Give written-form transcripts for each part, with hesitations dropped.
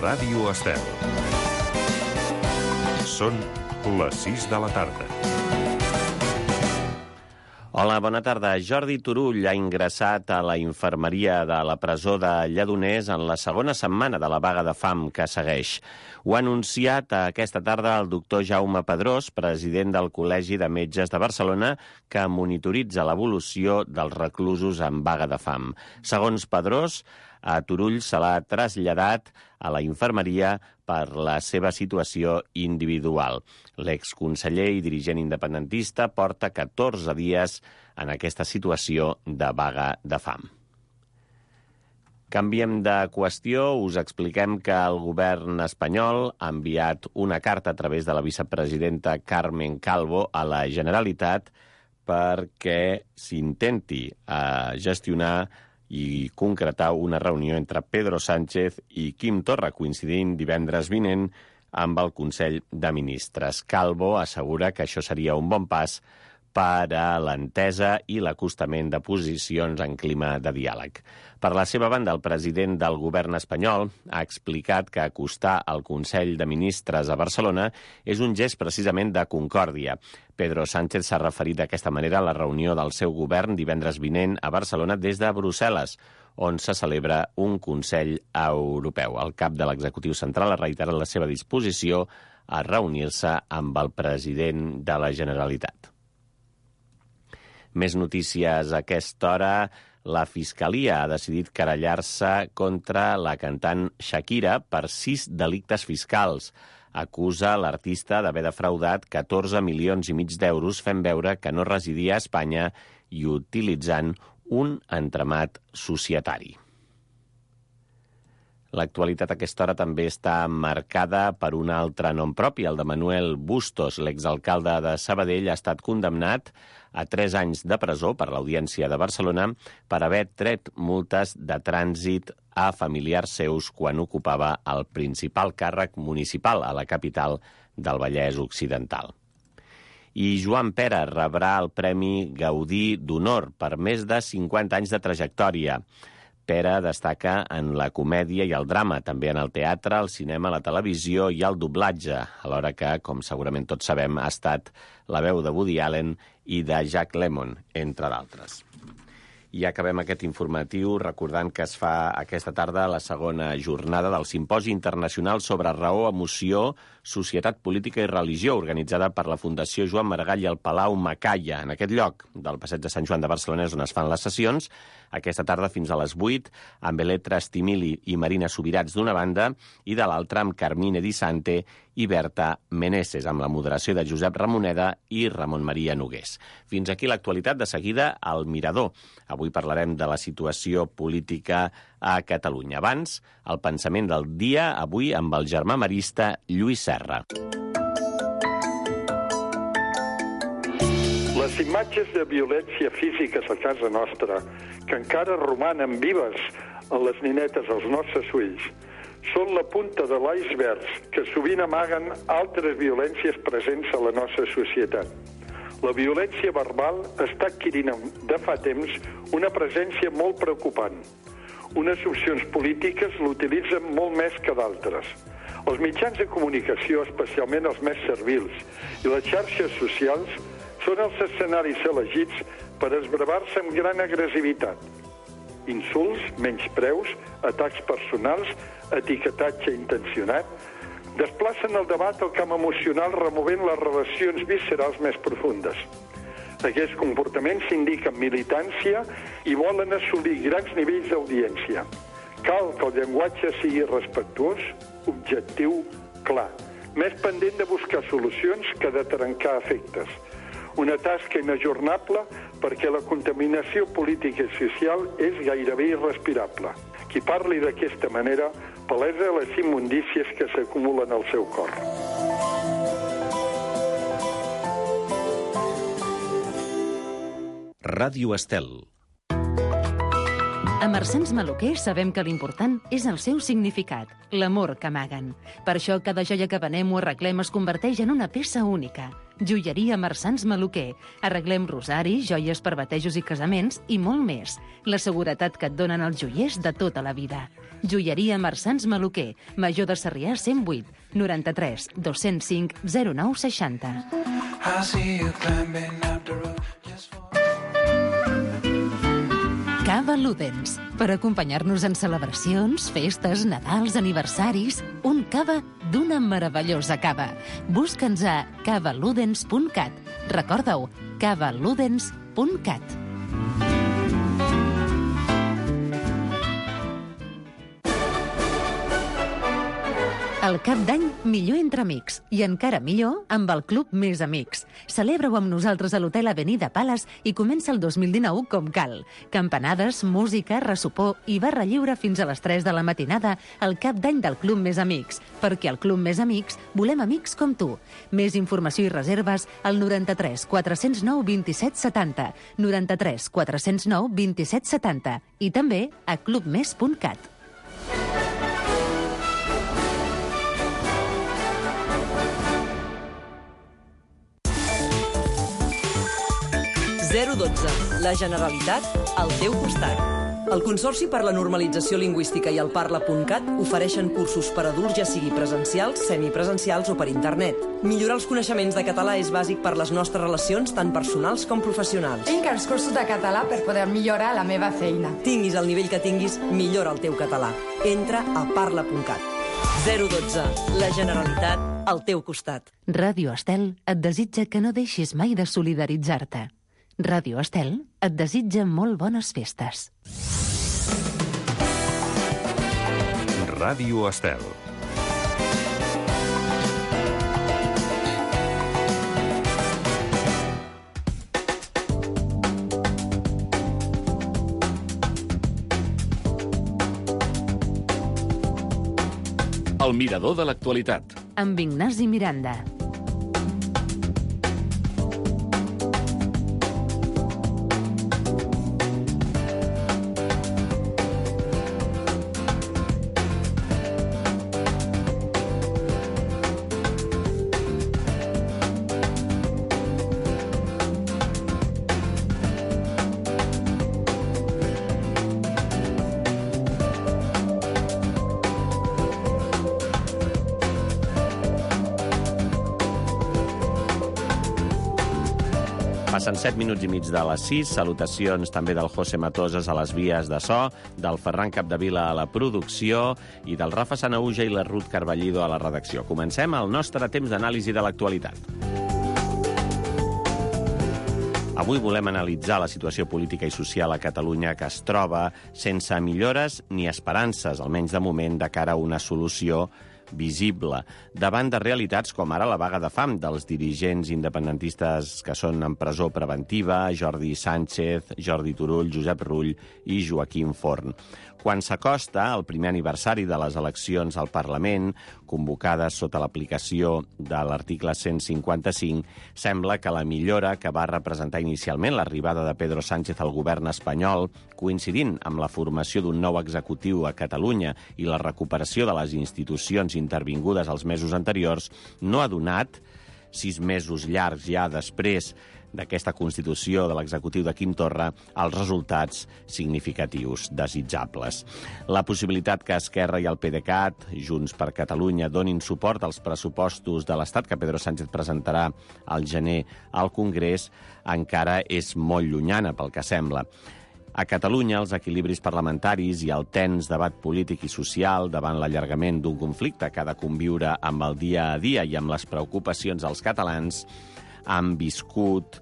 Ràdio Estel. Són les 6 de la tarda. Hola, bona tarda. Jordi Turull ha ingressat a la infermeria de la presó de Lledoners en la segona setmana de la vaga de fam que segueix. Ho ha anunciat aquesta tarda el doctor Jaume Pedrós, president del Col·legi de Metges de Barcelona, que monitoritza l'evolució dels reclusos en vaga de fam. Segons Pedrós, a Turull se l'ha traslladat a la infermeria per la seva situació individual. L'exconseller i dirigent independentista porta 14 dies en aquesta situació de vaga de fam. Canviem de qüestió, us expliquem que el govern espanyol ha enviat una carta a través de la vicepresidenta Carmen Calvo a la Generalitat perquè s'intenti gestionar i concretar una reunió entre Pedro Sánchez i Quim Torra, coincidint divendres vinent amb el Consell de Ministres. Calvo assegura que això seria un bon pas per a l'entesa i l'acostament de posicions en clima de diàleg. Per la seva banda, el president del govern espanyol ha explicat que acostar el Consell de Ministres a Barcelona és un gest precisament de concòrdia. Pedro Sánchez s'ha referit d'aquesta manera a la reunió del seu govern divendres vinent a Barcelona des de Brussel·les, on se celebra un Consell Europeu. El cap de l'executiu central ha reiterat la seva disposició a reunir-se amb el president de la Generalitat. Més notícies a aquesta hora. La Fiscalia ha decidit querellar-se contra la cantant Shakira per 6 delictes fiscals. Acusa l'artista d'haver defraudat 14 milions i mig d'euros fent veure que no residia a Espanya i utilitzant un entramat societari. L'actualitat a aquesta hora també està marcada per un altre nom propi, el de Manuel Bustos. L'exalcalde de Sabadell ha estat condemnat a 3 anys de presó per l'Audiència de Barcelona per haver tret multes de trànsit a familiars seus quan ocupava el principal càrrec municipal a la capital del Vallès Occidental. I Joan Pera rebrà el Premi Gaudí d'Honor per més de 50 anys de trajectòria. Pera destaca en la comèdia i el drama, també en el teatre, el cinema, la televisió i el doblatge, alhora que, com segurament tots sabem, ha estat la veu de Woody Allen i de Jack Lemmon, entre d'altres. I acabem aquest informatiu recordant que es fa aquesta tarda la segona jornada del Simposi Internacional sobre Raó, Emoció, Societat Política i Religió, organitzada per la Fundació Joan Maragall i el Palau Macaya, en aquest lloc del Passeig de Sant Joan de Barcelona, on es fan les sessions, aquesta tarda fins a les 8, amb Eletra Estimili i Marina Subirats d'una banda, i de l'altra amb Carmine Di Sante i Berta Meneses, amb la moderació de Josep Ramoneda i Ramon Maria Nogués. Fins aquí l'actualitat. De seguida, al Mirador. Avui parlarem de la situació política a Catalunya. Abans, el pensament del dia, avui amb el germà marista Lluís Serra. Les imatges de violència física a casa nostra, que encara romanen vives en les ninetes als nostres ulls, són la punta de l'iceberg que sovint amaguen altres violències presents a la nostra societat. La violència verbal està adquirint de fa temps una presència molt preocupant. Unes opcions polítiques l'utilitzen molt més que d'altres. Els mitjans de comunicació, especialment els més servils, i les xarxes socials són els escenaris elegits per esbravar-se amb gran agressivitat. Insults, menyspreus, atacs personals, etiquetatge intencionat, desplacen el debat al camp emocional removent les relacions viscerals més profundes. Aquests comportaments indiquen militància i volen assolir grans nivells d'audiència. Cal que el llenguatge sigui respectuós, objectiu, clar, més pendent de buscar solucions que de trencar efectes. Una tasca inajornable perquè la contaminació política i social és gairebé irrespirable. Qui parli d'aquesta manera palesa les immundícies que s'acumulen al seu cor. Ràdio Estel. A Marsans Maluquer sabem que l'important és el seu significat, l'amor que amaguen. Per això cada joia que venem o arreglem es converteix en una peça única. Joieria Marsans Maluquer. Arreglem rosaris, joies per batejos i casaments i molt més. La seguretat que et donen els joiers de tota la vida. Joieria Marsans Maluquer. Major de Sarrià 108 93 205 0960. Cava Ludens. Per acompanyar-nos en celebracions, festes, Nadals, aniversaris, un cava d'una meravellosa cava. Busca'ns a cavaludens.cat. Recorda-ho, cavaludens.cat. El cap d'any, millor entre amics. I encara millor amb el Club Més Amics. Celebra-ho amb nosaltres a l'Hotel Avenida Palace i comença el 2019 com cal. Campanades, música, ressopor i barra lliure fins a les 3 de la matinada al cap d'any del Club Més Amics. Perquè al Club Més Amics volem amics com tu. Més informació i reserves al 93 409 27 70, 93 409 27 70 i també a clubmes.cat. 012. La Generalitat al teu costat. El Consorci per la Normalització Lingüística i el Parla.cat ofereixen cursos per adults, ja sigui presencials, semipresencials o per internet. Millorar els coneixements de català és bàsic per les nostres relacions, tant personals com professionals. Tinc els cursos de català per poder millorar la meva feina. Tinguis el nivell que tinguis, millora el teu català. Entra a Parla.cat. 012. La Generalitat al teu costat. Ràdio Estel et desitja que no deixis mai de solidaritzar-te. Ràdio Estel et desitja molt bones festes. Ràdio Estel. El mirador de l'actualitat. Amb Ignasi Miranda. Passen 7 minuts i mig de les 6. Salutacions també del José Matoses a les vies de so, del Ferran Capdevila a la producció i del Rafa Sanahuja i la Ruth Carballido a la redacció. Comencem el nostre temps d'anàlisi de l'actualitat. Avui volem analitzar la situació política i social a Catalunya, que es troba sense millores ni esperances, almenys de moment, de cara a una solució visible, davant de realitats com ara la vaga de fam dels dirigents independentistes que són en presó preventiva, Jordi Sánchez, Jordi Turull, Josep Rull i Joaquim Forn. Quan s'acosta el primer aniversari de les eleccions al Parlament, convocades sota l'aplicació de l'article 155, sembla que la millora que va representar inicialment l'arribada de Pedro Sánchez al govern espanyol, coincidint amb la formació d'un nou executiu a Catalunya i la recuperació de les institucions intervingudes els mesos anteriors, no ha donat, 6 mesos llargs ja després d'aquesta constitució de l'executiu de Quim Torra, els resultats significatius, desitjables. La possibilitat que Esquerra i el PDeCAT, Junts per Catalunya, donin suport als pressupostos de l'Estat que Pedro Sánchez presentarà al gener al Congrés encara és molt llunyana, pel que sembla. A Catalunya, els equilibris parlamentaris i el tens debat polític i social davant l'allargament d'un conflicte que ha de conviure amb el dia a dia i amb les preocupacions dels catalans han viscut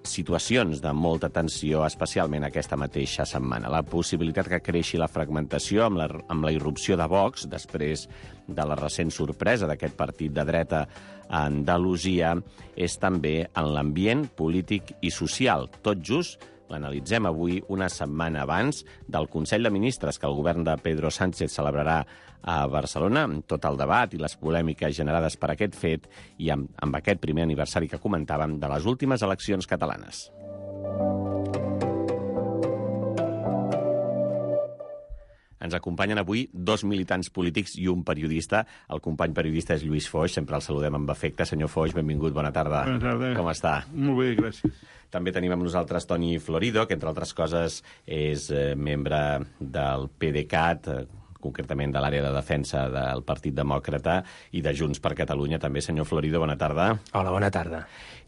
situacions de molta tensió, especialment aquesta mateixa setmana. La possibilitat que creixi la fragmentació amb la irrupció de Vox, després de la recent sorpresa d'aquest partit de dreta a Andalusia, és també en l'ambient polític i social. Tot just l'analitzem avui, una setmana abans del Consell de Ministres que el govern de Pedro Sánchez celebrarà a Barcelona, amb tot el debat i les polèmiques generades per aquest fet i amb aquest primer aniversari que comentàvem de les últimes eleccions catalanes. Ens acompanyen avui 2 militants polítics i un periodista. El company periodista és Lluís Foix, sempre el saludem amb afecte. Senyor Foix, benvingut, bona tarda. Bona tarda. Com està? Molt bé, gràcies. També tenim amb nosaltres Toni Florido, que entre altres coses és membre del PDeCAT, concretament de l'àrea de defensa del Partit Demòcrata i de Junts per Catalunya. També, senyor Florido, bona tarda. Hola, bona tarda.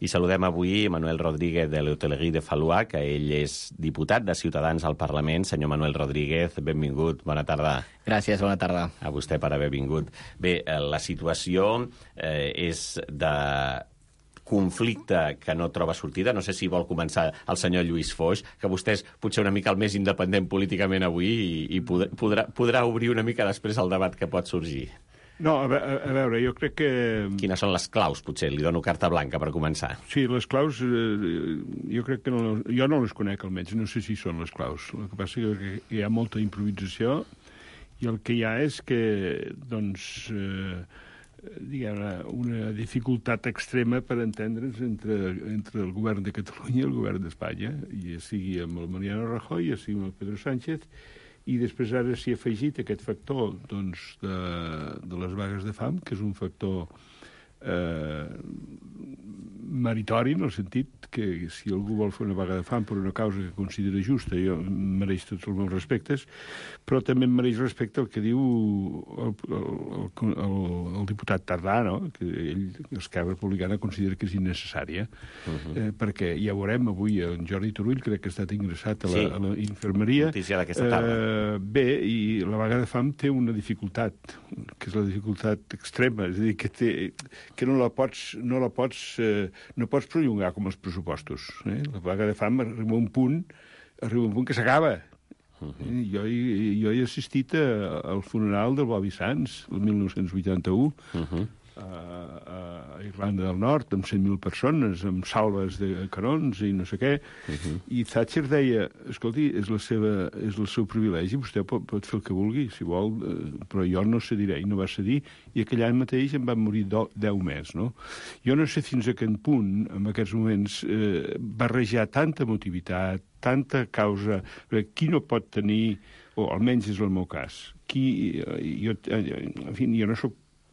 I saludem avui Manuel Rodríguez de l'Hotellerie de Fallois, que ell és diputat de Ciutadans al Parlament. Senyor Manuel Rodríguez, benvingut, bona tarda. Gràcies, bona tarda. A vostè per haver vingut. Bé, la situació és de conflicte que no troba sortida. No sé si vol començar el senyor Lluís Foix, que vostè és potser una mica el més independent políticament avui i podrà obrir una mica després el debat que pot sorgir. No, a veure, jo crec que... Quines són les claus, potser? Li dono carta blanca per començar. Sí, les claus, jo crec que jo no les conec almenys, no sé si són les claus. El que passa és que hi ha molta improvisació i el que hi ha és que, doncs, diguem-ne, una dificultat extrema per entendre's entre el govern de Catalunya i el govern d'Espanya, ja sigui amb el Mariano Rajoy, ja sigui amb el Pedro Sánchez, i després ara s'hi ha afegit aquest factor doncs, de les vagues de fam, que és un factor meritori, en el sentit que si algú vol fer una vaga de fam per una causa que considera justa, jo mereix tots els meus respectes, però també em mereix respecte el que diu el diputat Tardà, no? Que ell, Esquerra Republicana, considera que és innecessària, perquè ja veurem avui en Jordi Turull, crec que ha estat ingressat a la infermeria. Notícia d'aquesta tarda. Bé, i la vaga de fam té una dificultat, que és la dificultat extrema, és a dir, que no pots prolongar com els pressupostos. La vaga de fam arriba a un punt que s'acaba. Jo he assistit al funeral del Bobby Sands, el 1981, a Irlanda del Nord, amb 100.000 persones, amb salves de canons i no sé què, i Thatcher deia, escolti, és el seu privilegi, vostè pot fer el que vulgui, si vol, però jo no cediré, i no va cedir, i aquell any mateix en van morir 10 més, no? Jo no sé fins a quin punt, en aquests moments, barrejar tanta emotivitat, tanta causa, qui no pot tenir, o almenys és el meu cas, jo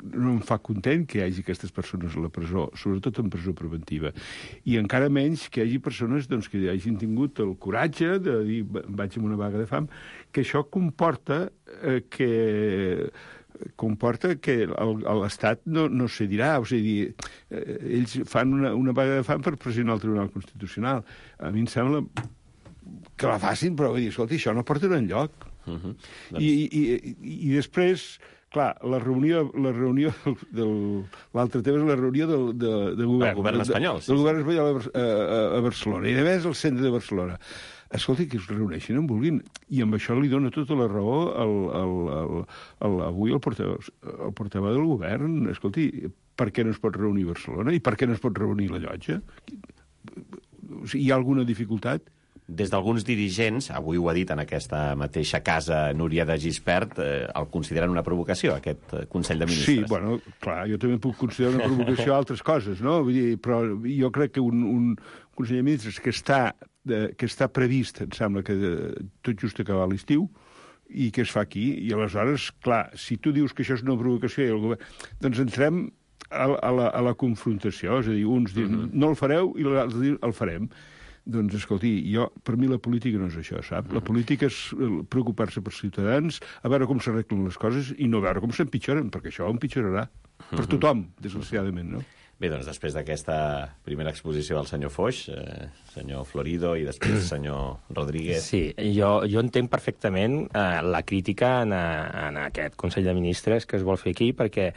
no em fa content que hi hagi aquestes persones a la presó, sobretot en presó preventiva. I encara menys que hi hagi persones doncs, que hagin tingut el coratge de dir vaig amb una vaga de fam, que això comporta que l'Estat no cedirà. O sigui, ells fan una vaga de fam per pressionar el Tribunal Constitucional. A mi em sembla que la facin, però vull dir, escolta, això no portarà enlloc. I després... Clar, la reunió l'altre tema és la reunió del govern. El govern espanyol, sí. Del govern espanyol a Barcelona, i a més al centre de Barcelona. Escolti, que es reuneixin on vulguin. I amb això li dona tota la raó avui el portaveu del govern. Escolti, per què no es pot reunir Barcelona? I per què no es pot reunir la Llotja? Hi ha alguna dificultat? Des d'alguns dirigents, avui ho ha dit en aquesta mateixa casa Núria de Gispert, el consideren una provocació, aquest Consell de Ministres. Sí, bueno, clar, jo també puc considerar una provocació a altres coses, no? Vull dir, però jo crec que un Consell de Ministres que està previst, em sembla que tot just acabar l'estiu, i que es fa aquí, i aleshores, clar, si tu dius que això és una provocació i el govern... Doncs entrem a la confrontació, és a dir, uns diuen no el fareu i l'altre diuen el farem. Doncs, escolti, per mi la política no és això, sap? La política és preocupar-se per ciutadans, a veure com s'arreglen les coses i no veure com s'empitjoren, perquè això empitjorarà per tothom, desgraciadament, no? Bé, doncs després d'aquesta primera exposició del senyor Foix, senyor Florido i després senyor Rodríguez... Sí, jo entenc perfectament la crítica en aquest Consell de Ministres que es vol fer aquí, perquè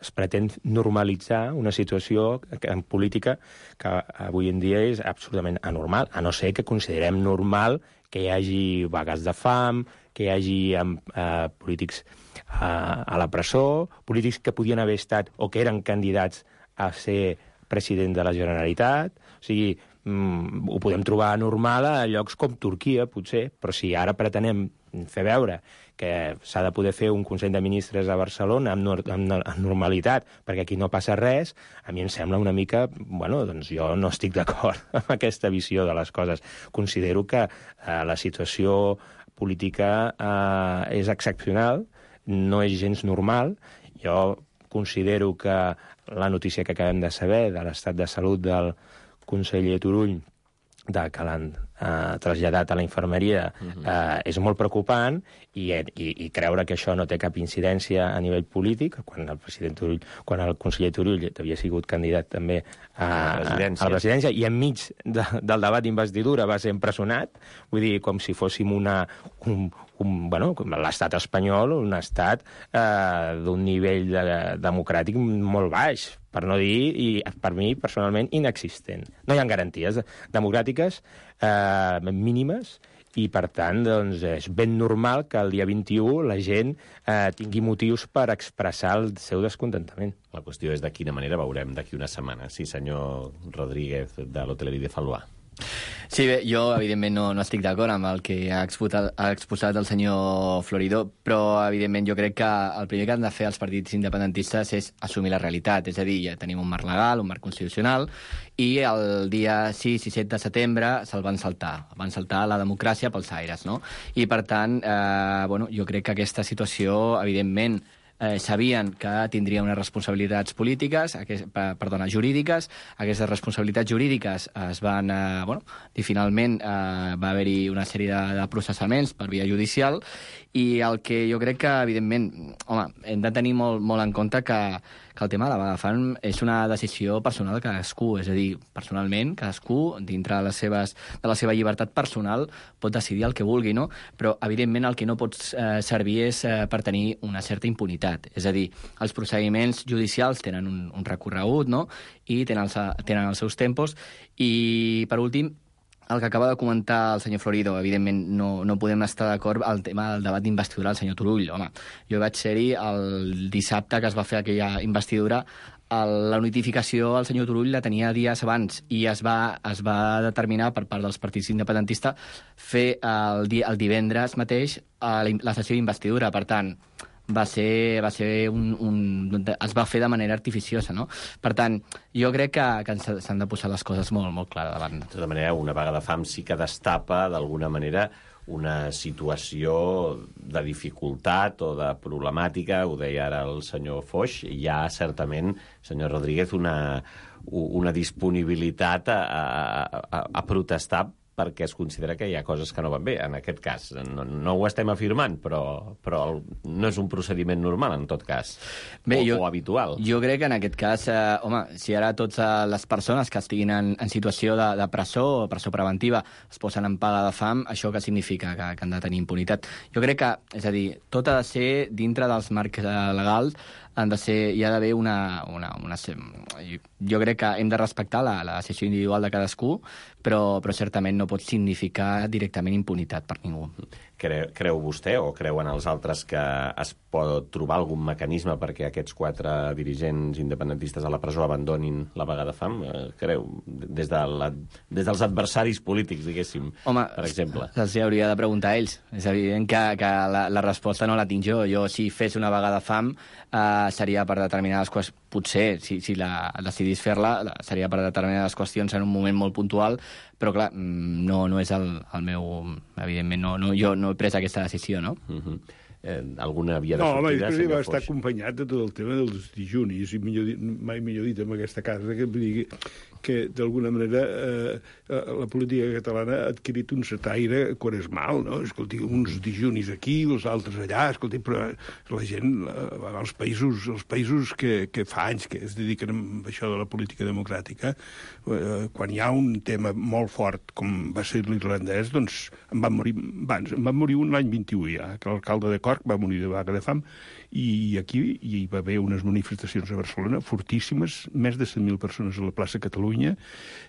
es pretén normalitzar una situació en política que avui en dia és absolutament anormal, a no ser que considerem normal que hi hagi vagues de fam, que hi hagi polítics a la presó, polítics que podien haver estat o que eren candidats a ser president de la Generalitat. O sigui, ho podem trobar normal a llocs com Turquia, potser, però si ara pretenem fer veure que s'ha de poder fer un Consell de Ministres a Barcelona amb normalitat, perquè aquí no passa res, a mi em sembla una mica... Bueno, doncs jo no estic d'acord amb aquesta visió de les coses. Considero que la situació política és excepcional, no és gens normal. Jo considero que la notícia que acabem de saber de l'estat de salut del conseller Turull, que l'han traslladat a la infermeria, és molt preocupant, i creure que això no té cap incidència a nivell polític, quan el conseller Turull havia sigut candidat també a la presidència, i enmig del debat d'investidura va ser empresonat, vull dir, com si fóssim l'estat espanyol, un estat d'un nivell democràtic molt baix, per no dir, i per mi, personalment, inexistent. No hi ha garanties democràtiques mínimes, i, per tant, doncs, és ben normal que el dia 21 la gent tingui motius per expressar el seu descontentament. La qüestió és de quina manera veurem d'aquí una setmana. Sí, senyor Rodríguez, de l'Hotellerie de Fallois. Sí, bé, jo evidentment no estic d'acord amb el que ha exposat el senyor Florido, però evidentment jo crec que el primer que han de fer els partits independentistes és assumir la realitat, és a dir, ja tenim un marc legal, un marc constitucional, i el dia 6 i 7 de setembre se'l van saltar la democràcia pels aires, no? I per tant, jo crec que aquesta situació, evidentment, sabien que tindria unes responsabilitats jurídiques. Aquestes responsabilitats jurídiques es van... i finalment va haver-hi una sèrie de processaments per via judicial, i el que jo crec que, evidentment, hem de tenir molt en compte que el tema de la vaga de fam és una decisió personal de cadascú, és a dir, personalment, cadascú, dintre de la seva llibertat personal, pot decidir el que vulgui, no? Però, evidentment, el que no pot servir és per tenir una certa impunitat. És a dir, els procediments judicials tenen un recorregut, no?, i tenen els seus tempos, i, per últim, el que acaba de comentar el senyor Florido, evidentment no podem estar d'acord al tema del debat d'investidura del senyor Turull. Home, jo vaig ser-hi el dissabte que es va fer aquella investidura. La notificació al senyor Turull la tenia dies abans, i es va determinar per part dels partits independentistes fer el divendres mateix la sessió d'investidura. Per tant, es va fer de manera artificiosa, no? Per tant, jo crec que s'han de posar les coses molt clares davant. De tota manera, una vaga de fam sí que destapa, d'alguna manera, una situació de dificultat o de problemàtica, ho deia ara el senyor Foix. Hi ha, certament, senyor Rodríguez, una disponibilitat a protestar perquè es considera que hi ha coses que no van bé. En aquest cas, no ho estem afirmant, però no és un procediment normal, en tot cas, o habitual. Jo crec que en aquest cas, si ara totes les persones que estiguin en situació de presó o presó preventiva es posen en paga de fam, això què significa? Que han de tenir impunitat. Jo crec que, és a dir, tot ha de ser dintre dels marcs legals, hi ha d'haver jo crec que hem de respectar la decisió individual de cadascú, però certament no pot significar directament impunitat per ningú. Creu vostè, o creuen els altres, que es pot trobar algun mecanisme perquè aquests 4 dirigents independentistes a la presó abandonin la vaga de fam? Creu? Des dels adversaris polítics, diguéssim, per exemple. Se'ls hauria de preguntar a ells. És evident que la resposta no la tinc jo. Jo, si fes una vaga de fam, seria per determinades qüestions. Potser, si decidís fer-la, seria per determinades qüestions en un moment molt puntual, però, clar, no és el meu... Evidentment, jo no he pres aquesta decisió, no? Alguna via de sortida? No, home, va estar acompanyat de tot el tema dels dijunis, i mai millor dit en aquesta casa, que d'alguna manera la política catalana ha adquirit un setaire quaresmal, no? Escolti, uns dijunis aquí, els altres allà, escolti, però la gent, els països que fa anys que es dediquen a això de la política democràtica, quan hi ha un tema molt fort, com va ser l'irlandès, doncs en van morir un l'any 21 ja, que l'alcalde de Cork va morir de vaga de fam, i aquí hi va haver unes manifestacions a Barcelona fortíssimes, més de 100.000 persones a la plaça Catalunya.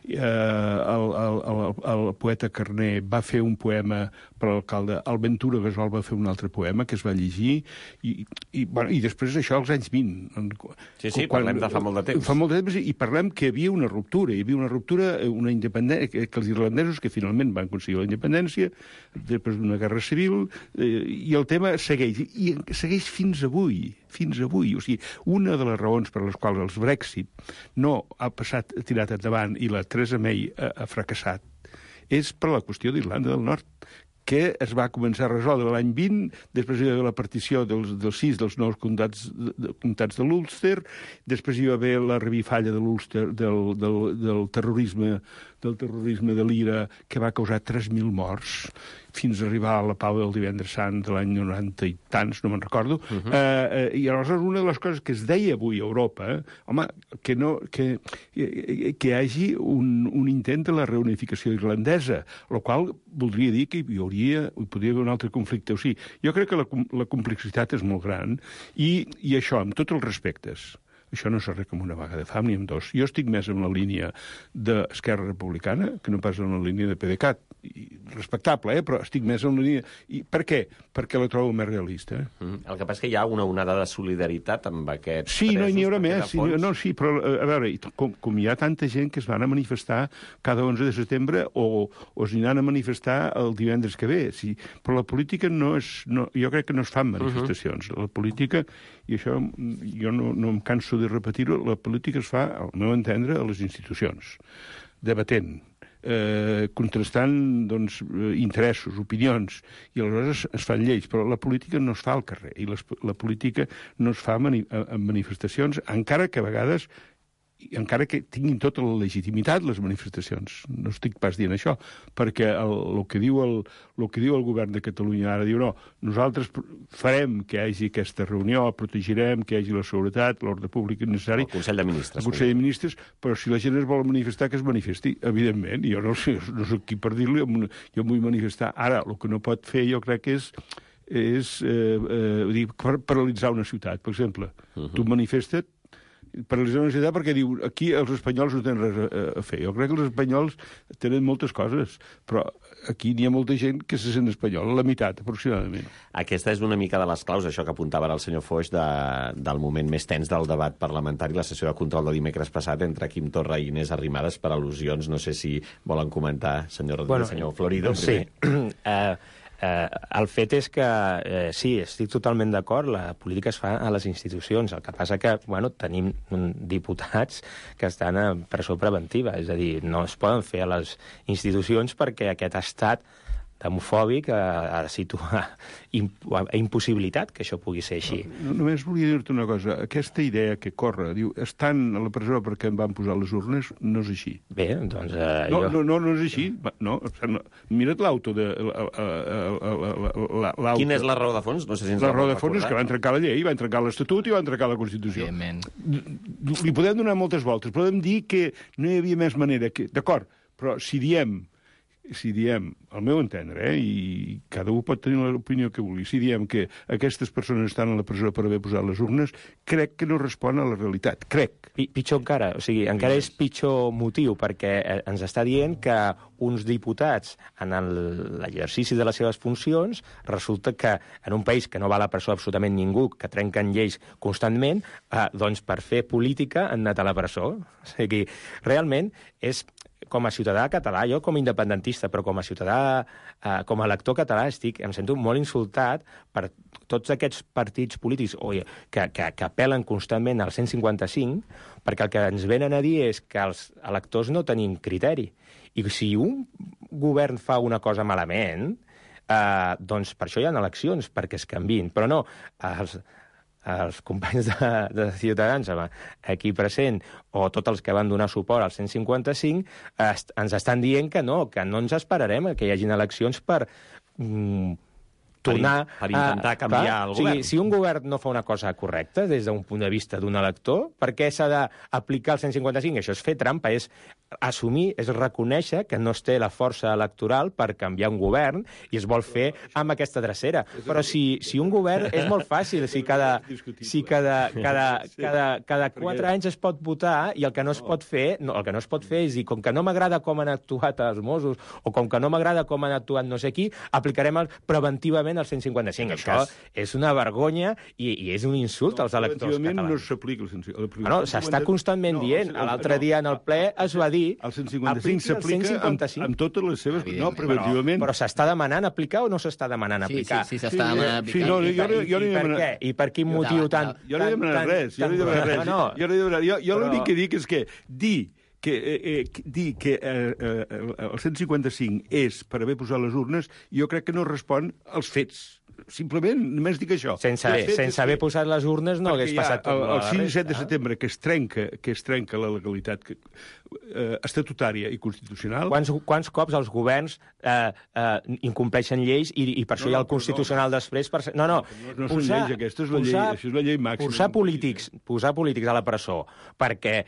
El poeta Carner va fer un poema per l'alcalde, el Ventura Gasol va fer un altre poema que es va llegir, i després això als anys 20. Sí, parlem de fa molt de temps. Fa molt de temps, i parlem que hi havia una ruptura, una independència, que els irlandesos, que finalment van aconseguir la independència, després d'una guerra civil, i el tema segueix, i segueix fins avui. O sigui, una de les raons per les quals el Brexit no ha tirat endavant i la Theresa May ha fracassat és per la qüestió d'Irlanda del Nord, que es va començar a resoldre l'any 20, després hi va haver la partició dels 6 dels nous comtats de l'Ulster, després hi va haver la revifalla de l'Ulster, del terrorisme de l'IRA, que va causar 3.000 morts, fins a arribar a la pau del Divendres Sant de l'any 90 i tants, no me'n recordo. I aleshores una de les coses que es deia avui a Europa, home, que hi hagi un intent de la reunificació irlandesa, el qual voldria dir que hi podria haver un altre conflicte. O sigui, jo crec que la complexitat és molt gran i això, amb tots els respectes, això no s'arregla amb una vaga de fam ni amb dos. Jo estic més en la línia d'Esquerra Republicana que no pas en la línia de PDeCAT. Respectable, però estic més en la línia... I per què? Perquè la trobo més realista. El que passa és que hi ha una onada de solidaritat amb aquests presos. Sí, no n'hi haurà més. Sí, però, a veure, com hi ha tanta gent que es van a manifestar cada 11 de setembre o es aniran a manifestar el divendres que ve. Sí, però la política jo crec que no es fan manifestacions. La política, i això jo no em canso de repetir-ho, la política es fa, al meu entendre, a les institucions, debatent, contrastant interessos, opinions, i aleshores es fan lleis, però la política no es fa al carrer, i la política no es fa en manifestacions, encara que a vegades encara que tinguin tota la legitimitat les manifestacions. No estic pas dient això, perquè el que diu el govern de Catalunya ara diu no, nosaltres farem que hi hagi aquesta reunió, protegirem que hi hagi la seguretat, l'ordre públic necessari. El Consell de Ministres. El Consell de Ministres, però si la gent es vol manifestar, que es manifesti, evidentment. Jo no soc qui per dir-li, jo em vull manifestar. Ara, el que no pot fer, jo crec que és paralitzar una ciutat, per exemple. Tu manifesta't, paralitzar una ciutat perquè diu aquí els espanyols no tenen res a fer. Jo crec que els espanyols tenen moltes coses, però aquí n'hi ha molta gent que se sent espanyol, la meitat, aproximadament. Aquesta és una mica de les claus, això que apuntava ara el senyor Foix, del moment més tens del debat parlamentari, la sessió de control de dimecres passat entre Quim Torra i Inés Arrimadas per al·lusions. No sé si volen comentar, senyor Florido. Sí. El fet és que, sí, estic totalment d'acord, la política es fa a les institucions. El que passa que, tenim diputats que estan a presó preventiva, és a dir, no es poden fer a les institucions perquè aquest estat demofòbic ha impossibilitat que això pugui ser així. Només volia dir-te una cosa. Aquesta idea que corre, diu, estan a la presó perquè em van posar les urnes, no és així. Bé, doncs... No és així. No, mira't l'auto de... Quina és la raó de fons? No sé si ens la raó de fons és que van trencar la llei, van trencar l'Estatut i van trencar la Constitució. Li podem donar moltes voltes. Podem dir que no hi havia més manera que... D'acord, però si diem, al meu entendre, i cada un pot tenir l'opinió que vulgui, si diem que aquestes persones estan a la presó per haver posat les urnes, crec que no respon a la realitat. Crec. Pitjor encara, o sigui, encara és pitjor motiu, perquè ens està dient que uns diputats, en l'exercici de les seves funcions, resulta que en un país que no va a la presó absolutament ningú, que trenquen lleis constantment, doncs per fer política han anat a la presó. O sigui, realment és... Com a ciutadà català, jo com a independentista, però com a ciutadà, com a elector català, em sento molt insultat per tots aquests partits polítics que apel·len constantment al 155, perquè el que ens venen a dir és que els electors no tenim criteri. I si un govern fa una cosa malament, doncs per això hi ha eleccions, perquè es canviïn. Però no, els companys de Ciutadans aquí present, o tots els que van donar suport al 155, ens estan dient que no ens esperarem que hi hagin eleccions per tornar... Per intentar canviar el govern. Si un govern no fa una cosa correcta des d'un punt de vista d'un elector, per què s'ha d'aplicar el 155? Això és fer trampa, és assumir, és reconèixer que no es té la força electoral per canviar un govern i es vol fer amb aquesta drecera. Però si un govern és molt fàcil, si cada 4 anys es pot votar i el que no es pot fer, el que no es pot fer és dir, com que no m'agrada com han actuat els Mossos o com que no m'agrada com han actuat no sé qui, aplicarem preventivament el 155. Això és una vergonya i és un insult als electors catalans. No s'aplica el 155. No, s'està constantment dient. L'altre dia en el ple es va dir... El 155 s'aplica amb totes les seves... No, preventivament... Però s'està demanant aplicar o no s'està demanant aplicar? Sí, s'està demanant aplicar. I per quin motiu tant... Jo no he demanat res. Jo l'únic que dic és que dir dir que el 155 és per haver posat les urnes, jo crec que no respon als fets. Simplement, només dic això. Sense haver posat les urnes no hagués passat tot el 6 i 7 de setembre, que es trenca la legalitat estatutària i constitucional... Quants cops els governs incompleixen lleis i per això hi ha el Constitucional després... No són lleis aquestes, això és la llei màxima. Posar polítics a la presó perquè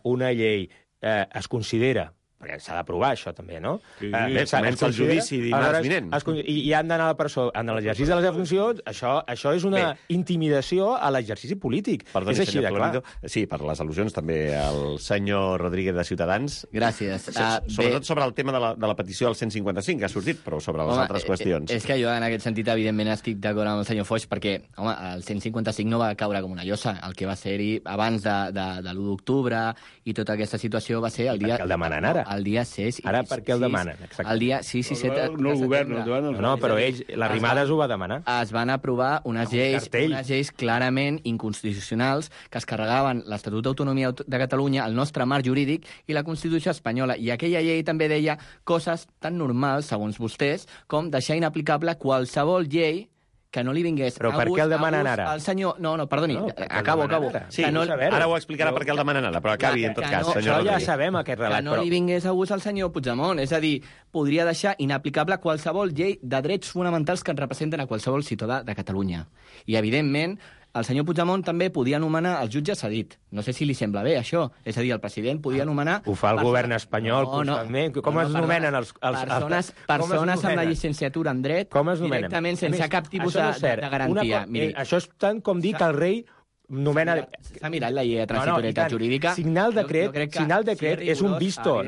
una llei es considera... perquè s'ha d'aprovar això també, no? Sí, comença el judici dimarts vinent. I han d'anar a la presó en l'exercici de les funcions, això és una intimidació a l'exercici polític. Perdoni, és així de clar. Sí, per les al·lusions també el senyor Rodríguez de Ciutadans. Gràcies. Sobretot sobre el tema de la petició del 155, que ha sortit, però sobre les altres qüestions. És que jo, en aquest sentit, evidentment, estic d'acord amb el senyor Foix, perquè, home, el 155 no va caure com una llosa. El que va ser-hi abans de l'1 d'octubre i tota aquesta situació va ser el dia... Per què el demanen ara? El dia 6... Ara per què el demanen? El dia 6 i 7 no el govern, no, però ells, l'Arrimades ho va demanar. Es van aprovar unes lleis clarament inconstitucionals que es carregaven l'Estatut d'Autonomia de Catalunya, el nostre marc jurídic i la Constitució espanyola. I aquella llei també deia coses tan normals, segons vostès, com deixar inaplicable qualsevol llei que no li vingués però per què el demanen ara? El senyor... No, perdoni, acabo. Sí, ara ho explicarà per què el demanen ara, però acabi, en tot cas, senyor Rodríguez. Ja sabem aquest relat, però... Que no li vingués a gust al senyor Puigdemont, és a dir, podria deixar inaplicable qualsevol llei de drets fonamentals que ens representen a qualsevol ciutadà de Catalunya. I, evidentment, el senyor Puigdemont també podia nomenar el jutge cedit. No sé si li sembla bé, això. És a dir, el president podia nomenar... Ho fa el govern espanyol constantment. Com es nomenen els... Persones amb la llicenciatura en dret directament sense cap tipus de garantia. Això és tant com dir que el rei nomena... S'ha mirat la llei de transitorietat jurídica. Signar el decret és un visto.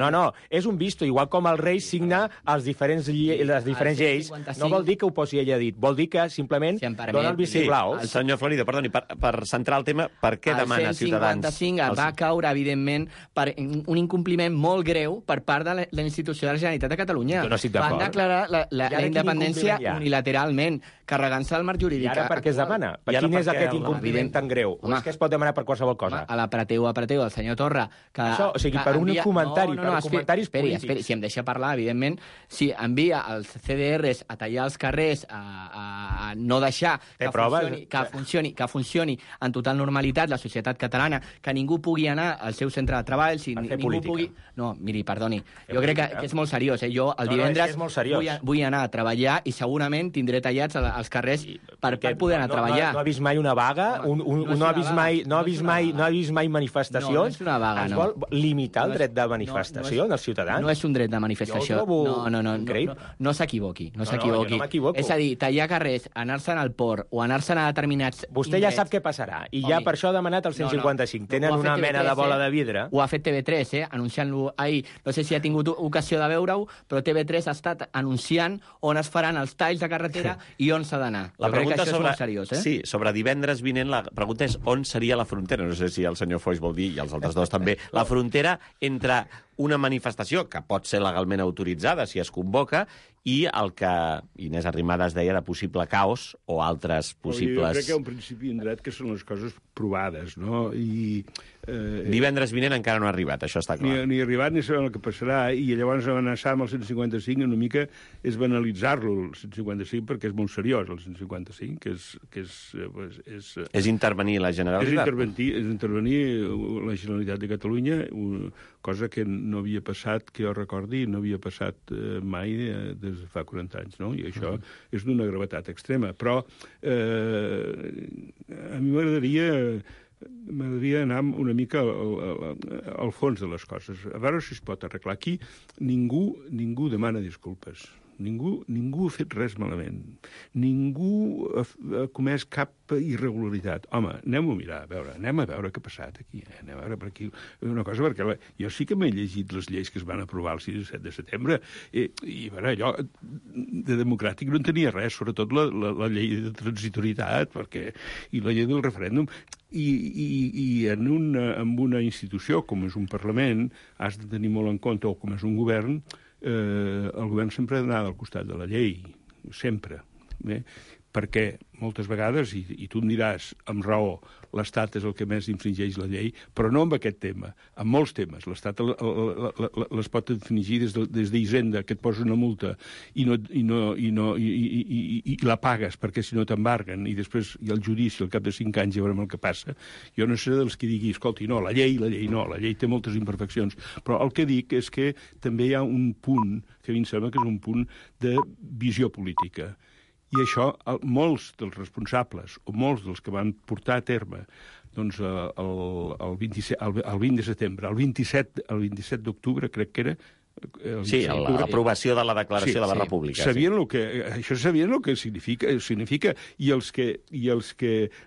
És un visto. Igual com el rei signa les diferents lleis, no vol dir que ho posi ella dit, vol dir que simplement dona el vistiplau. Senyor Florido, perdoni, per centrar el tema, per què demana Ciutadans? El 155 va caure, evidentment, per un incompliment molt greu per part de la institució de la Generalitat de Catalunya. Van declarar la independència unilateralment, carregant-se el marc jurídic. I ara per què es demana? Quin és aquest incompliment tan greu? O és que es pot demanar per qualsevol cosa? A l'apreteu del senyor Torra... Això, o sigui, per un comentari, per comentaris polítics. Esperi, si em deixa parlar, evidentment, si envia els CDRs a tallar els carrers, a no deixar que funcioni en total normalitat la societat catalana, que ningú pugui anar al seu centre de treball, si ningú pugui... No, miri, perdoni, jo crec que és molt seriós. Jo el divendres vull anar a treballar i segurament tindré tallats als carrers per poder anar a treballar. No ha vist mai una vaga? No ha vist mai manifestacions? No és una vaga, no. Es vol limitar el dret de manifestació dels ciutadans? No és un dret de manifestació. No s'equivoqui. És a dir, tallar carrers, anar-se'n al port o anar-se'n a determinats... Vostè ja sap què passarà, i ja per això ha demanat el 155. Tenen una mena de bola de vidre. Ho ha fet TV3, anunciant-lo ahir. No sé si ha tingut ocasió de veure-ho, però TV3 ha estat anunciant on es faran els talls de carretera i on s'ha d'anar. La pregunta és molt seriós, Sí, sobre divendres vinent, la pregunta és on seria la frontera. No sé si el senyor Foix vol dir, i els altres dos també, la frontera entre una manifestació que pot ser legalment autoritzada si es convoca i el que Inés Arrimadas deia de possible caos o altres possibles... Jo crec que hi ha un principi en dret que són les coses provades, no? Divendres vinent encara no ha arribat, això està clar. Ni ha arribat ni sabem el que passarà, i llavors amenaçar amb el 155 una mica és banalitzar-lo, el 155, perquè és molt seriós, el 155, que és intervenir la Generalitat. És intervenir la Generalitat de Catalunya, cosa que no havia passat, que jo recordi, no havia passat mai des de fa 40 anys, no? I això és d'una gravetat extrema. Però a mi m'agradaria anar una mica al fons de les coses, a veure si es pot arreglar. Aquí ningú demana disculpes. Ningú ha fet res malament. Ningú ha comès cap irregularitat. Home, anem a mirar, anem a veure què ha passat aquí. Anem a veure per aquí una cosa, perquè jo sí que m'he llegit les lleis que es van aprovar el 6 i 7 de setembre, i allò de democràtic no en tenia res, sobretot la llei de transitorietat, i la llei del referèndum. I en una institució com és un Parlament has de tenir molt en compte, o com és un govern, el govern sempre ha d'anar al costat de la llei, sempre. perquè moltes vegades, i tu em diràs, amb raó, l'Estat és el que més infringeix la llei, però no amb aquest tema, amb molts temes. L'Estat les pot infringir des d'Hisenda, que et posa una multa i la pagues, perquè si no t'embarguen, i després hi ha el judici al cap de 5 anys i veurem el que passa. Jo no seré dels que digui, escolti, no, la llei no, la llei té moltes imperfeccions, però el que dic és que també hi ha un punt, que a mi em sembla que és un punt de visió política. I això, molts dels responsables, o molts dels que van portar a terme doncs, el 20 de setembre, el 27 d'octubre, crec que era, sí, l'aprovació de la Declaració de la República. Sabien això sabien el que significa. I els que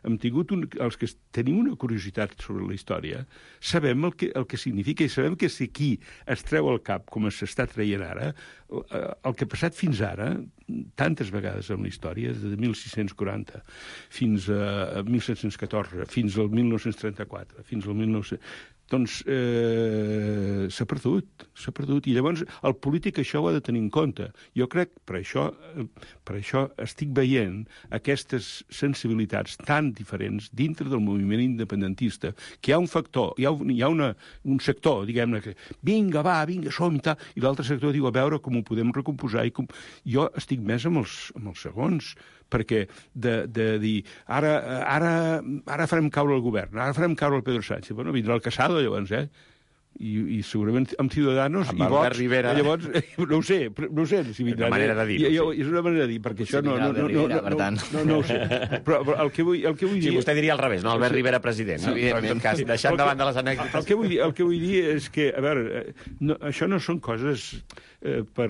hem tingut els que tenim una curiositat sobre la història, sabem el que significa i sabem que si aquí es treu el cap, com s'està traient ara, el que ha passat fins ara, tantes vegades en la història, des de 1640 fins a 1714, fins al 1934, fins al 1900... doncs s'ha perdut. I llavors el polític això ho ha de tenir en compte. Jo crec, per això estic veient aquestes sensibilitats tan diferents dintre del moviment independentista, que hi ha un factor, hi ha un sector, diguem-ne, que vinga, som i tal, i l'altre sector diu, a veure com ho podem recomposar. Jo estic més amb els segons, perquè de dir, ara farem caure el govern, ara farem caure el Pedro Sánchez, bueno, vindrà el Casado, llavors, i segurament amb Ciudadanos i Vox, Rivera. Llavors, no ho sé si vindrà. És una manera de dir. És una manera de dir, perquè això no ho sé. Però el que vull dir... Sí, vostè diria al revés, no? Albert Rivera president, no? Però en tot cas, deixant de banda les anècdotes... El que vull dir és que, a veure, això no són coses per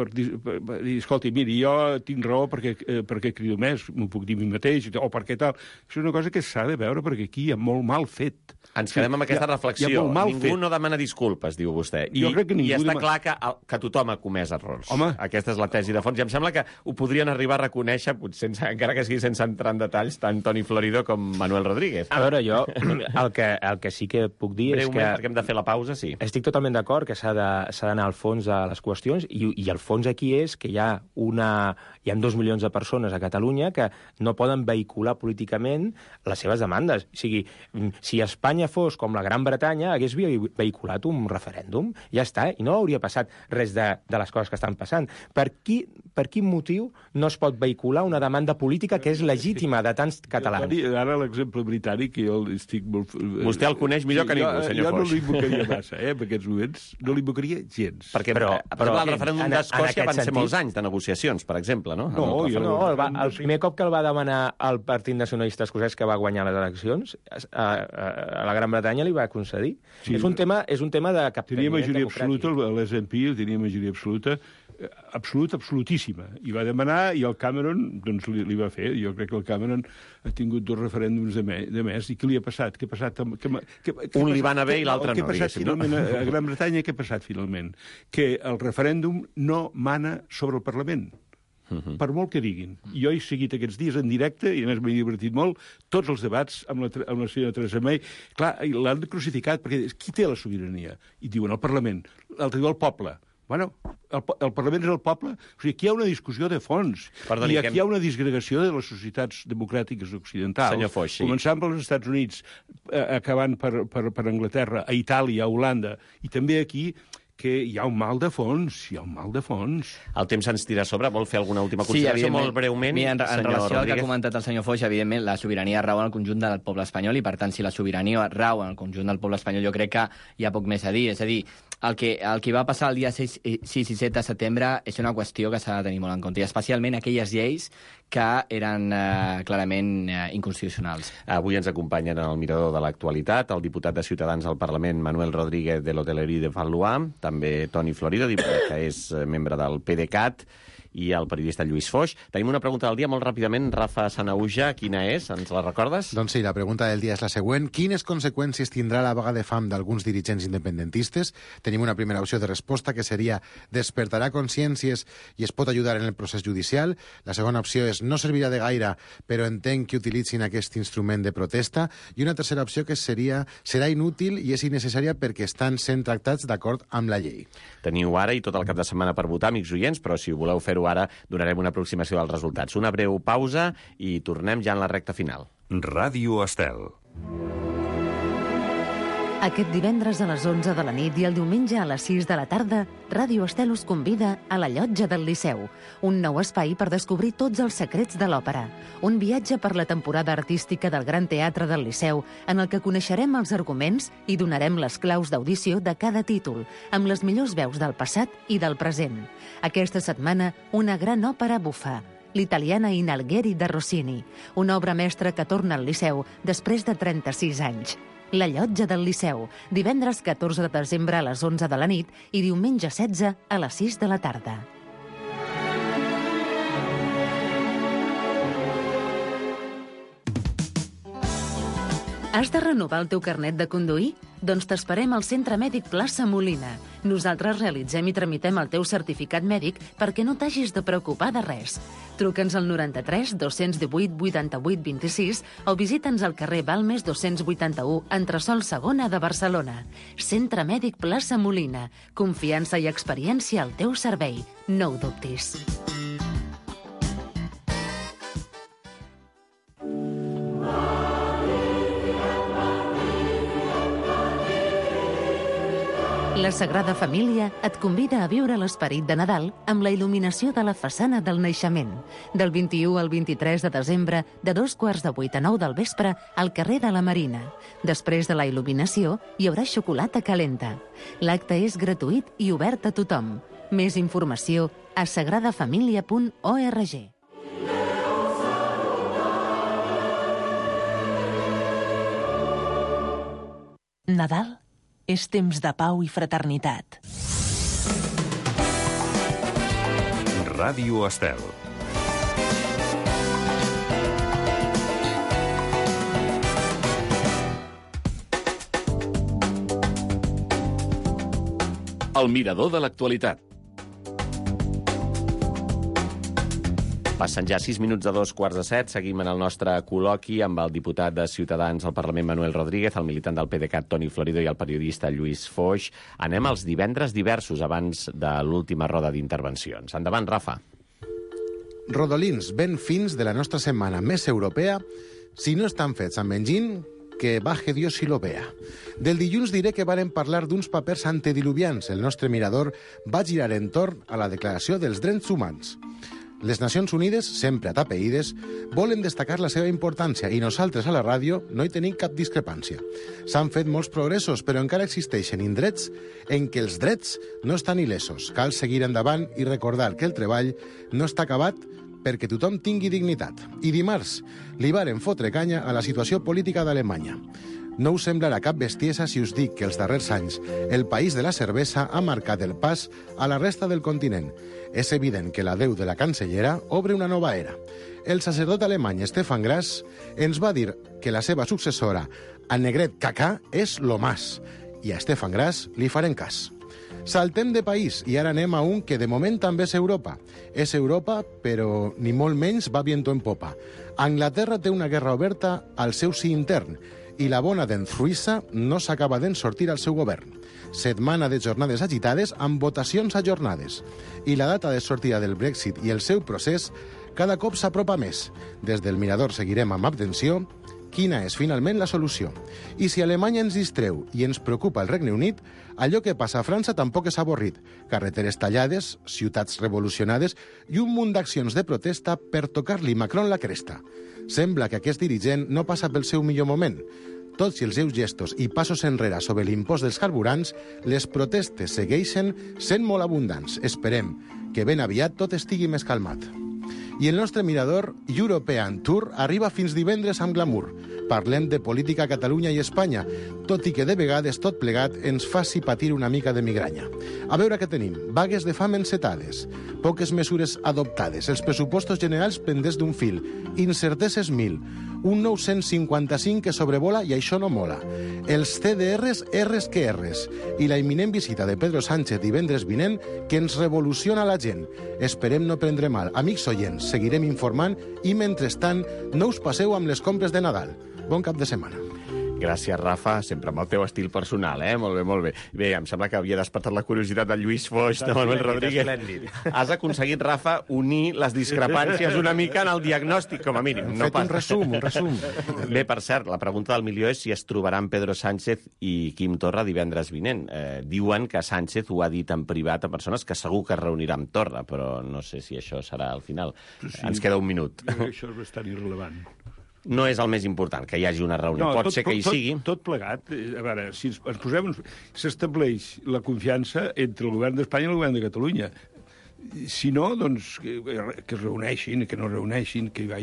dir, escolti, miri, jo tinc raó perquè crido més, m'ho puc dir a mi mateix, o perquè tal. Això és una cosa que s'ha de veure perquè aquí hi ha molt mal fet. Ens quedem amb aquesta reflexió. Ningú no demana disculpes, diu vostè. I està clar que tothom ha comès errors. Home. Aquesta és la tesi de fons. I em sembla que ho podrien arribar a reconèixer, encara que sigui sense entrar en detalls, tant Toni Florido com Manuel Rodríguez. A veure, jo el que sí que puc dir és que... Breument, perquè hem de fer la pausa, sí. Estic totalment d'acord que s'ha d'anar al fons de les qüestions, i el fons aquí és que hi ha 2 milions de persones a Catalunya que no poden vehicular políticament les seves demandes. O sigui, si Espanya fos com la Gran Bretanya, hagués vehiculat un referèndum, ja està, i no hauria passat res de les coses que estan passant. Per quin motiu no es pot vehicular una demanda política que és legítima de tants catalans? Ara l'exemple britànic, jo estic molt... Vostè el coneix millor que ningú, senyor Foix. Jo no l'invocaria massa, en aquests moments. No l'invocaria gens. Perquè, però el referèndum d'Escòcia van ser molts anys de negociacions, per exemple, no? El primer cop que el va demanar el Partit Nacionalista Escocès, que va guanyar les eleccions, a la Gran Bretanya li va concedir. Sí. És un tema de capteniment democràtic. Tenia majoria absoluta, l'SNP tenia majoria absolutíssima. I va demanar, i el Cameron doncs, li va fer. Jo crec que el Cameron ha tingut 2 referèndums de més. I què li ha passat? Un li va anar bé i l'altre no, diguéssim, no? A Gran Bretanya què ha passat, finalment? Que el referèndum no mana sobre el Parlament. Per molt que diguin. Jo he seguit aquests dies en directe, i a més m'he divertit molt, tots els debats amb la senyora Theresa May. Clar, l'han crucificat, perquè qui té la sobirania? I diuen el Parlament. L'altre diu el poble. Bueno, el Parlament és el poble. O sigui, aquí hi ha una discussió de fons. I aquí hi ha una disgregació de les societats democràtiques occidentals. Foix, sí. Començant pels Estats Units, acabant per Anglaterra, a Itàlia, a Holanda, i també aquí, que hi ha un mal de fons, El temps ens tira a sobre. Vol fer alguna última consideració molt breument? Mira, en relació al que ha comentat el senyor Foix, evidentment, la sobirania rau en el conjunt del poble espanyol, i, per tant, si la sobirania rau en el conjunt del poble espanyol, jo crec que hi ha poc més a dir. És a dir, el que va passar el dia 6 i 7 de setembre és una qüestió que s'ha de tenir molt en compte, i especialment aquelles lleis que eren clarament inconstitucionals. Avui ens acompanyen en el mirador de l'actualitat el diputat de Ciutadans al Parlament, Manuel Rodríguez, de l'Hotellerie de Valois, també Toni Florido, que és membre del PDeCAT, i el periodista Lluís Foix. Tenim una pregunta del dia molt ràpidament. Rafa Sanahuja, quina és? Ens la recordes? Doncs sí, la pregunta del dia és la següent. Quines conseqüències tindrà la vaga de fam d'alguns dirigents independentistes? Tenim una primera opció de resposta, que seria despertarà consciències i es pot ajudar en el procés judicial. La segona opció és no servirà de gaire, però entenc que utilitzin aquest instrument de protesta. I una tercera opció, que serà inútil i és innecessària perquè estan sent tractats d'acord amb la llei. Teniu ara i tot el cap de setmana per votar, amics oients, però si voleu fer però ara donarem una aproximació dels resultats. Una breu pausa i tornem ja en la recta final. Ràdio Estel. Aquest divendres a les 11 de la nit i el diumenge a les 6 de la tarda, Ràdio Estel us convida a la Llotja del Liceu, un nou espai per descobrir tots els secrets de l'òpera. Un viatge per la temporada artística del Gran Teatre del Liceu, en el que coneixerem els arguments i donarem les claus d'audició de cada títol, amb les millors veus del passat i del present. Aquesta setmana, una gran òpera bufa, l'italiana In Algheri de Rossini, una obra mestra que torna al Liceu després de 36 anys. La Llotja del Liceu, divendres 14 de desembre a les 11 de la nit i diumenge 16 a les 6 de la tarda. Has de renovar el teu carnet de conduir? Doncs t'esperem al Centre Mèdic Plaça Molina. Nosaltres realitzem i tramitem el teu certificat mèdic perquè no t'hagis de preocupar de res. Truca'ns al 93 218 88 26 o visita'ns al carrer Balmes 281, entresòl segona de Barcelona. Centre Mèdic Plaça Molina. Confiança i experiència al teu servei. No ho dubtis. La Sagrada Família et convida a viure l'esperit de Nadal amb la il·luminació de la façana del naixement. Del 21 al 23 de desembre, de 7:45 a 9 del vespre, al carrer de la Marina. Després de la il·luminació, hi haurà xocolata calenta. L'acte és gratuït i obert a tothom. Més informació a sagradafamilia.org. Nadal és temps de pau i fraternitat. Ràdio Estel. El mirador de l'actualitat. Passen ja 6 minuts de 7:15. Seguim en el nostre col·loqui amb el diputat de Ciutadans al Parlament, Manuel Rodríguez, el militant del PDeCAT, Toni Florido, i el periodista Lluís Foix. Anem als divendres diversos abans de l'última roda d'intervencions. Endavant, Rafa. Rodolins ben fins de la nostra setmana més europea, si no estan fets amb enginy, que baje Dios si lo vea. Del dilluns diré que varen parlar d'uns papers antediluvians. El nostre mirador va girar entorn a la Declaració dels Drets Humans. Les Nacions Unides, sempre atapeïdes, volen destacar la seva importància i nosaltres a la ràdio no hi tenim cap discrepància. S'han fet molts progressos, però encara existeixen indrets en què els drets no estan il·lesos. Cal seguir endavant i recordar que el treball no està acabat perquè tothom tingui dignitat. I dimarts li varen fotre canya a la situació política d'Alemanya. No us semblarà cap bestiesa si us dic que els darrers anys el país de la cervesa ha marcat el pas a la resta del continent. És evident que l'adeu de la cancellera obre una nova era. El sacerdot alemany Stefan Grass ens va dir que la seva successora, Annegret Kaka, és lo más. I a Stefan Grass li farem cas. Saltem de país i ara anem a un que de moment també és Europa. És Europa, però ni molt menys va viento en popa. Anglaterra té una guerra oberta al seu si intern i la bona d'en Suïssa no s'acaba d'en sortir al seu govern. Setmana de jornades agitades amb votacions ajornades. I la data de sortida del Brexit i el seu procés cada cop s'apropa més. Des del Mirador seguirem amb atenció quina és finalment la solució. I si Alemanya ens distreu i ens preocupa el Regne Unit, allò que passa a França tampoc és avorrit. Carreteres tallades, ciutats revolucionades i un munt d'accions de protesta per tocar-li Macron la cresta. Sembla que aquest dirigent no passa pel seu millor moment. Tots i els seus gestos i passos enrere sobre l'impost dels carburants, les protestes segueixen sent molt abundants. Esperem que ben aviat tot estigui més calmat. I el nostre mirador European Tour arriba fins divendres amb glamour. Parlem de política a Catalunya i Espanya, tot i que de vegades tot plegat ens faci patir una mica de migranya. A veure què tenim. Vagues de fam encetades, poques mesures adoptades, els pressupostos generals pendents d'un fil, incerteses 1.000, un 955 que sobrevola i això no mola, els CDRs R's que R's i la imminent visita de Pedro Sánchez divendres vinent que ens revoluciona la gent. Esperem no prendre mal. Amics oients, seguirem informant i, mentrestant, no us passeu amb les compres de Nadal. Bon cap de setmana. Gràcies, Rafa, sempre amb el teu estil personal, Molt bé, molt bé. Bé, em sembla que havia despertat la curiositat de Lluís Foix, de Manuel Rodríguez. Has aconseguit, Rafa, unir les discrepàncies una mica en el diagnòstic, com a mínim. No un resum. Bé, per cert, la pregunta del milió és si es trobaran Pedro Sánchez i Quim Torra divendres vinent. Diuen que Sánchez ho ha dit en privat a persones que segur que es reunirà amb Torra, però no sé si això serà al final. Sí. Ens queda un minut. Això és bastant irrellevant. No és el més important, que hi hagi una reunió. Pot ser que hi sigui. Tot plegat. A veure, si ens posem... S'estableix la confiança entre el govern d'Espanya i el govern de Catalunya. Si no, doncs, que es reuneixin, que no reuneixin, que hi vagi